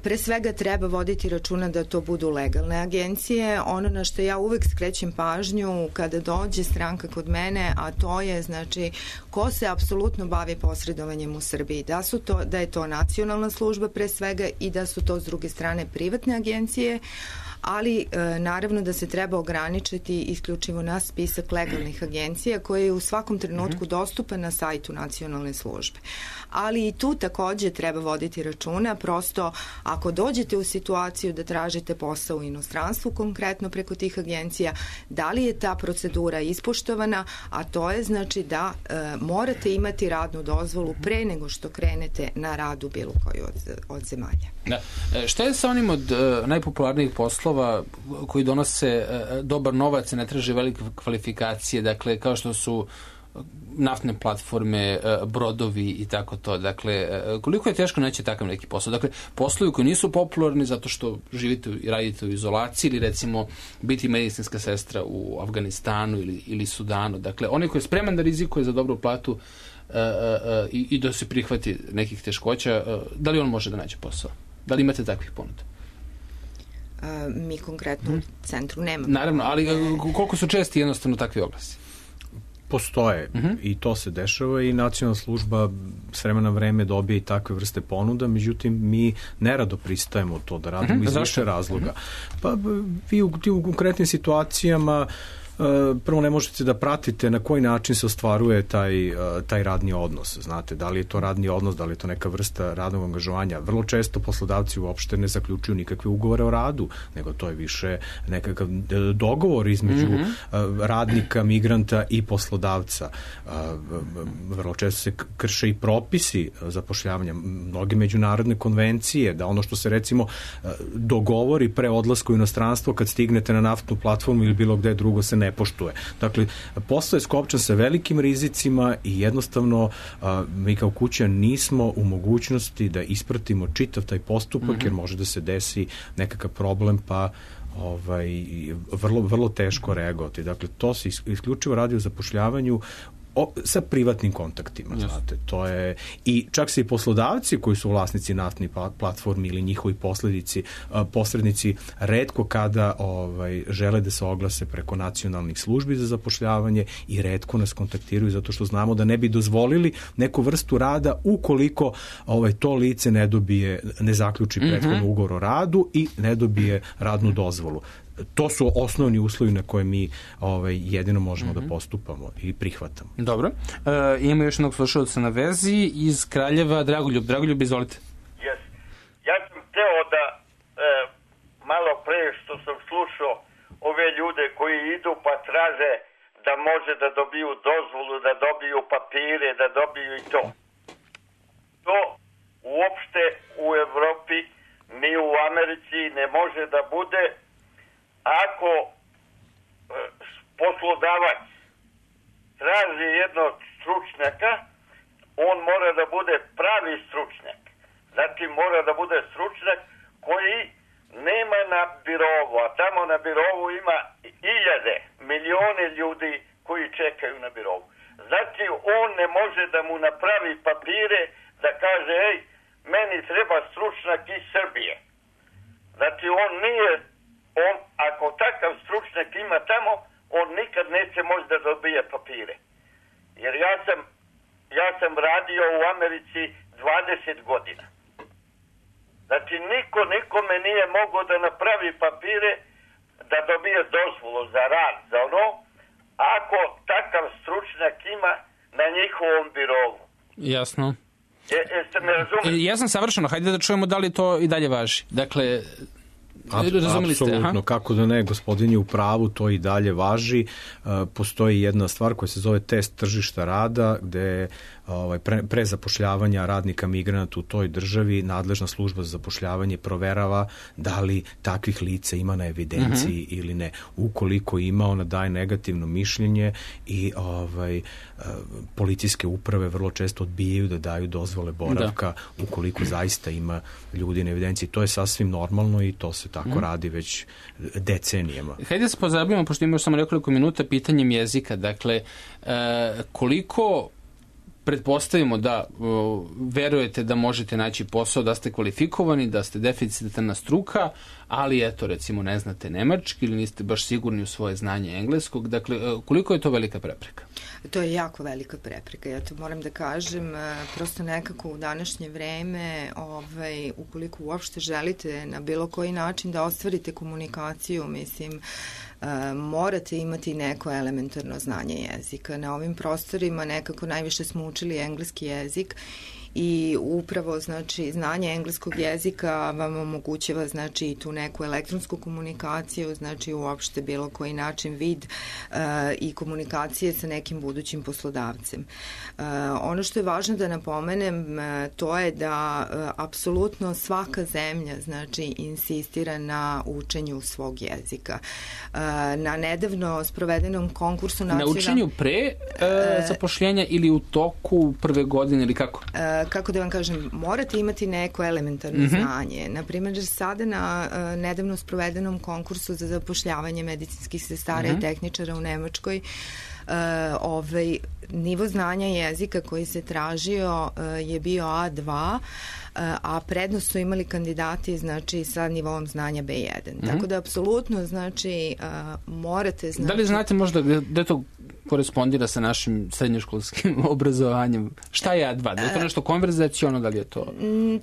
pre svega treba voditi računa da to budu legalne agencije. Ono na što ja uvek skrećem pažnju kada dođe stranka kod mene, a to je, znači, ko se apsolutno bavi posredovanjem u Srbiji. Da, su to, da je to nacionalna služba pre svega i da su to s druge strane privatne agencije, ali e, naravno da se treba ograničiti isključivo na spisak legalnih agencija koje je u svakom trenutku mm-hmm. dostupan na sajtu nacionalne službe. Ali i tu takođe treba voditi računa, prosto ako dođete u situaciju da tražite posao u inostranstvu, konkretno preko tih agencija, da li je ta procedura ispoštovana, a to je znači da e, morate imati radnu dozvolu pre nego što krenete na rad u bilo koju od, od zemalja. Da. E, šta je sa onim od e, najpopularnijih poslova koji donose e, dobar novac i ne traže velike kvalifikacije, dakle kao što su naftne platforme, brodovi i tako to. Dakle, koliko je teško naći takav neki posao? Dakle, poslovi koji nisu popularni zato što živite i radite u izolaciji ili recimo biti medicinska sestra u Afganistanu ili, ili Sudanu. Dakle, onaj koji je spreman da rizikuje za dobru platu uh, uh, uh, i, i da se prihvati nekih teškoća, uh, da li on može da nađe posao? Da li imate takvih ponuda? Uh, mi konkretno hmm. u centru nemamo. Naravno, ali koliko su česti jednostavno takvi oglasi? Postoje uh-huh. i to se dešava i nacionalna služba s vremena vreme dobije i takve vrste ponuda, međutim mi nerado pristajemo u to da radimo uh-huh. iz više razloga. Uh-huh. Pa vi u tim konkretnim situacijama prvo ne možete da pratite na koji način se ostvaruje taj, taj radni odnos. Znate, da li je to radni odnos, da li je to neka vrsta radnog angažovanja. Vrlo često poslodavci uopšte ne zaključuju nikakve ugovore o radu, nego to je više nekakav dogovor između mm-hmm. radnika, migranta i poslodavca. Vrlo često se krše i propisi zapošljavanja, mnoge međunarodne konvencije, da ono što se recimo dogovori pre odlaska u inostranstvo kad stignete na naftnu platformu ili bilo gde drugo se ne ne poštuje. Dakle, posao je skopčan sa velikim rizicima i jednostavno a, mi kao kuća nismo u mogućnosti da ispratimo čitav taj postupak, mm-hmm. jer može da se desi nekakav problem, pa ovaj, vrlo, vrlo teško reagovati. Dakle, to se isključivo radi o zapošljavanju O, sa privatnim kontaktima, yes. znate, to je, i čak se i poslodavci koji su vlasnici naftnih platformi ili njihovi posledici, posrednici, retko kada ovaj, žele da se oglase preko nacionalnih službi za zapošljavanje i retko nas kontaktiraju zato što znamo da ne bi dozvolili neku vrstu rada ukoliko ovaj, to lice ne dobije, ne zaključi prethodno mm-hmm. ugovor o radu i ne dobije radnu dozvolu. To su osnovni uslovi na koje mi ovaj, jedino možemo mm-hmm. da postupamo i prihvatamo. Dobro. E, imamo još jednog slušalca na vezi iz Kraljeva, Dragoljub. Dragoljub, izvolite. Yes. Ja sam teo da e, malo pre što sam slušao ove ljude koji idu pa traže da može da dobiju dozvolu, da dobiju papire, da dobiju i to. To uopšte u Evropi ni u Americi ne može da bude. Ako e, poslodavac traži jednog stručnjaka, on mora da bude pravi stručnjak. Znači mora da bude stručnjak koji nema na birovu, a tamo na birovu ima iljade, milione ljudi koji čekaju na birovu. Znači on ne može da mu napravi papire da kaže, ej, meni treba stručnjak iz Srbije. Znači on nije On, ako takav stručnjak ima tamo, on nikad neće moći da dobije papire. Jer ja sam, ja sam radio u Americi dvadeset godina. Znači, niko nikome nije mogao da napravi papire da dobije dozvolu za rad, za ono, ako takav stručnjak ima na njihovom birovu. Jasno. Je, jeste me razumeli? Ja sam savršeno, hajde da čujemo da li to i dalje važi. Dakle, apsolutno, kako da ne, gospodin je u pravu, to i dalje važi. Postoji jedna stvar koja se zove test tržišta rada, gde ovaj, pre, pre zapošljavanja radnika migranata u toj državi nadležna služba za zapošljavanje proverava da li takvih lica ima na evidenciji mm-hmm. ili ne. Ukoliko ima, ona daje negativno mišljenje i ovaj, policijske uprave vrlo često odbijaju da daju dozvole boravka da. ukoliko zaista ima ljudi na evidenciji. To je sasvim normalno i to se tako mm. radi već decenijama. Hajde da se pozabavimo, pošto imamo samo nekoliko minuta, pitanjem jezika. Dakle, e, koliko pretpostavimo da o, verujete da možete naći posao, da ste kvalifikovani, da ste deficitarna struka, ali eto, recimo, ne znate nemački ili niste baš sigurni u svoje znanje engleskog. Dakle, koliko je to velika prepreka? To je jako velika prepreka. Ja to moram da kažem, prosto nekako u današnje vreme, ovaj, ukoliko uopšte želite na bilo koji način da ostvarite komunikaciju, mislim, Uh, morate imati neko elementarno znanje jezika. Na ovim prostorima nekako najviše smo učili engleski jezik i upravo znači znanje engleskog jezika vam omogućava znači i tu neku elektronsku komunikaciju, znači uopšte bilo koji način, vid uh, i komunikacije sa nekim budućim poslodavcem. Uh, ono što je važno da napomenem uh, to je da uh, apsolutno svaka zemlja znači insistira na učenju svog jezika. Uh, na nedavno sprovedenom konkursu nacionalnog... Na učenju pre uh, zapošljenja ili u toku prve godine ili kako? Uh, kako da vam kažem, morate imati neko elementarno mm-hmm. znanje. Naprimjer, sada na uh, nedavno sprovedenom konkursu za zapošljavanje medicinskih sestara mm-hmm. i tehničara u Nemačkoj, uh, ovaj, nivo znanja jezika koji se tražio uh, je bio A dva, a prednost su imali kandidati znači sa nivom znanja B jedan. Mm-hmm. Tako da apsolutno znači uh, morate znači... Da li znate možda gde, gde to korespondira sa našim srednjoškolskim obrazovanjem? Šta je A dva? Da je to nešto konverzaciono, da li je to?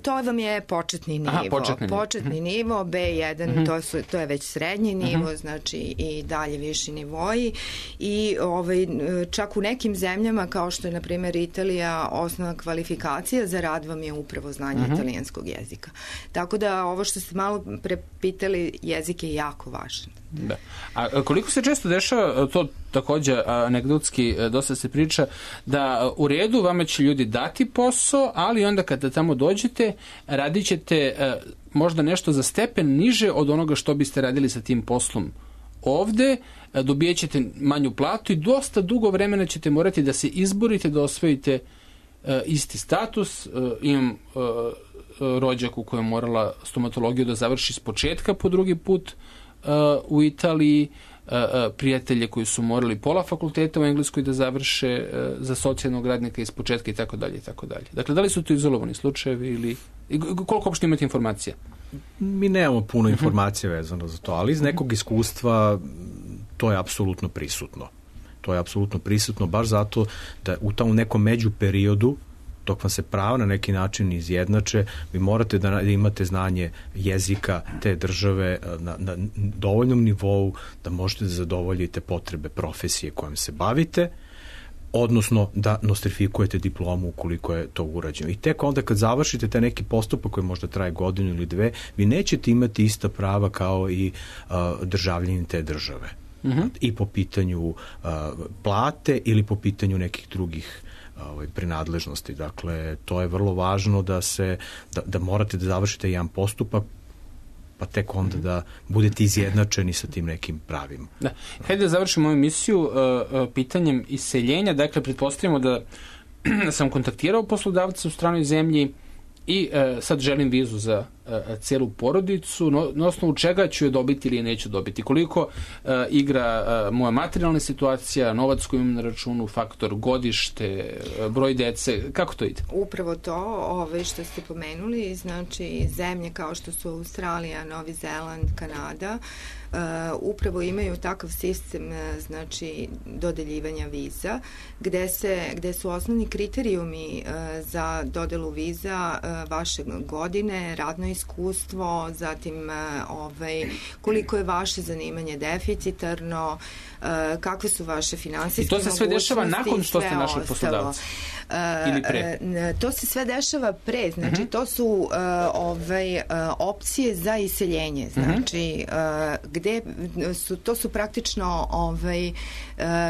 To vam je početni nivo. Aha, početni, početni mm-hmm. nivo, B jedan, mm-hmm. to, su, to je već srednji nivo, mm-hmm. znači i dalje viši nivoji. I ovaj, čak u nekim zemljama, kao što je, na primjer, Italija, osnovna kvalifikacija za rad vam je upravo znanje mm-hmm. italijanskog jezika. Tako da ovo što ste malo prepitali, jezik je jako važan. Da. A koliko se često dešava, to takođe anegdotski dosta se priča, da u redu vama će ljudi dati posao, ali onda kada tamo dođete, radit ćete možda nešto za stepen niže od onoga što biste radili sa tim poslom ovde, dobijat ćete manju platu i dosta dugo vremena ćete morati da se izborite da osvojite isti status. Imam rođaku koja je morala stomatologiju da završi s početka po drugi put u Italiji, prijatelje koji su morali pola fakulteta u Engleskoj da završe za socijalnog radnika iz početka i tako dalje i tako dalje. Dakle, da li su to izolovani slučajevi ili koliko uopšte imate informacija? Mi nemamo puno informacija vezano za to, ali iz nekog iskustva to je apsolutno prisutno. To je apsolutno prisutno baš zato da u tom nekom među periodu dok vam se prava na neki način izjednače, vi morate da imate znanje jezika te države na, na dovoljnom nivou da možete da zadovoljite potrebe profesije kojom se bavite, odnosno da nostrifikujete diplomu ukoliko je to urađeno. I tek onda kad završite taj neki postupak koji možda traje godinu ili dve, vi nećete imati ista prava kao i uh, državljanin te države. Mm-hmm. I po pitanju uh, plate ili po pitanju nekih drugih ovaj, prinadležnosti. Dakle, to je vrlo važno da se, da, da morate da završite jedan postupak pa tek onda da budete izjednačeni sa tim nekim pravima. Da. Hajde da završimo ovu emisiju uh, uh, pitanjem iseljenja. Dakle, pretpostavimo da sam kontaktirao poslodavca u stranoj zemlji i uh, sad želim vizu za uh, cijelu porodicu, no, na osnovu čega ću je dobiti ili je neću dobiti. Koliko uh, igra uh, moja materijalna situacija, novac koji imam na računu, faktor godište, uh, broj dece, kako to ide? Upravo to, ove što ste pomenuli, znači zemlje kao što su Australija, Novi Zeland, Kanada, Uh, upravo imaju takav sistem uh, znači dodeljivanja viza gde se gde su osnovni kriterijumi uh, za dodelu viza uh, vaše godine, radno iskustvo, zatim uh, ovaj koliko je vaše zanimanje deficitarno, uh, kakve su vaše finansijske mogućnosti. I to se sve dešava nakon što ste našli poslodavca? Uh, Ili pre? Uh, to se sve dešava pre, znači uh-huh. to su uh, ovaj, uh, opcije za iseljenje, znači uh, gde su, to su praktično ovaj, uh,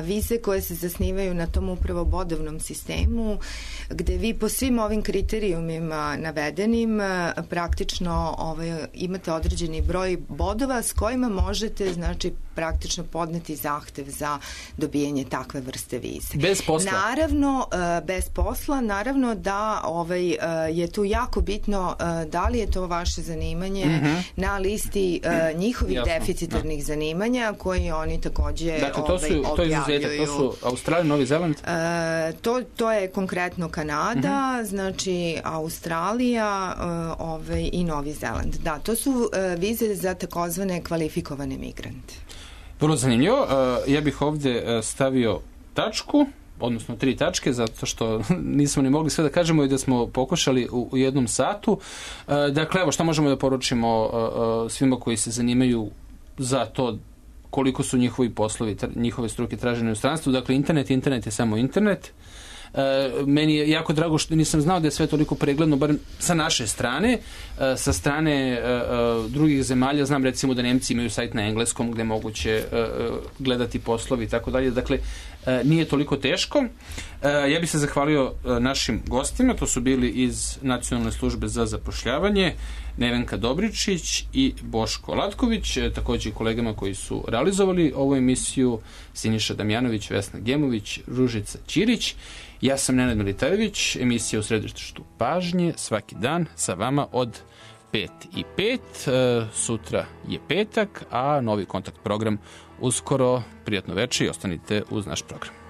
vize koje se zasnivaju na tom upravo bodovnom sistemu, gde vi po svim ovim kriterijumima navedenim uh, praktično ovaj, imate određeni broj bodova s kojima možete, znači, praktično podneti zahtev za dobijanje takve vrste vize. Bez posla? Naravno, uh, bez posla, naravno da ovaj, uh, je tu jako bitno uh, da li je to vaše zanimanje mm-hmm. na listi uh, njihovih Jasno. deficitarnih da. zanimanja koji oni takođe dakle, to su, ovaj, to je izuzetak, to su Australija, Novi Zeland? Uh, to, to je konkretno Kanada, mm-hmm. znači Australija uh, ovaj, i Novi Zeland. Da, to su uh, vize za takozvane kvalifikovane migrante. Vrlo zanimljivo. Uh, ja bih ovde uh, stavio tačku, odnosno tri tačke, zato što nismo ni mogli sve da kažemo i da smo pokušali u, u jednom satu. Uh, dakle, evo, šta možemo da poručimo uh, uh, svima koji se zanimaju za to koliko su njihovi poslovi, tra, njihove struke tražene u stranstvu. Dakle, internet, internet je samo internet. Meni je jako drago što nisam znao da je sve toliko pregledno, bar sa naše strane. Sa strane drugih zemalja znam recimo da Nemci imaju sajt na engleskom gde moguće gledati poslovi i tako dalje. Dakle, nije toliko teško. Ja bih se zahvalio našim gostima, to su bili iz Nacionalne službe za zapošljavanje, Nevenka Dobričić i Boško Latković, takođe i kolegama koji su realizovali ovu emisiju, Siniša Damjanović, Vesna Gemović, Ružica Ćirić. Ja sam Nenad Militarević, emisija u središtu pažnje, svaki dan sa vama od pet i pet. Sutra je petak, a novi kontakt program uskoro. Prijatno večer i ostanite uz naš program.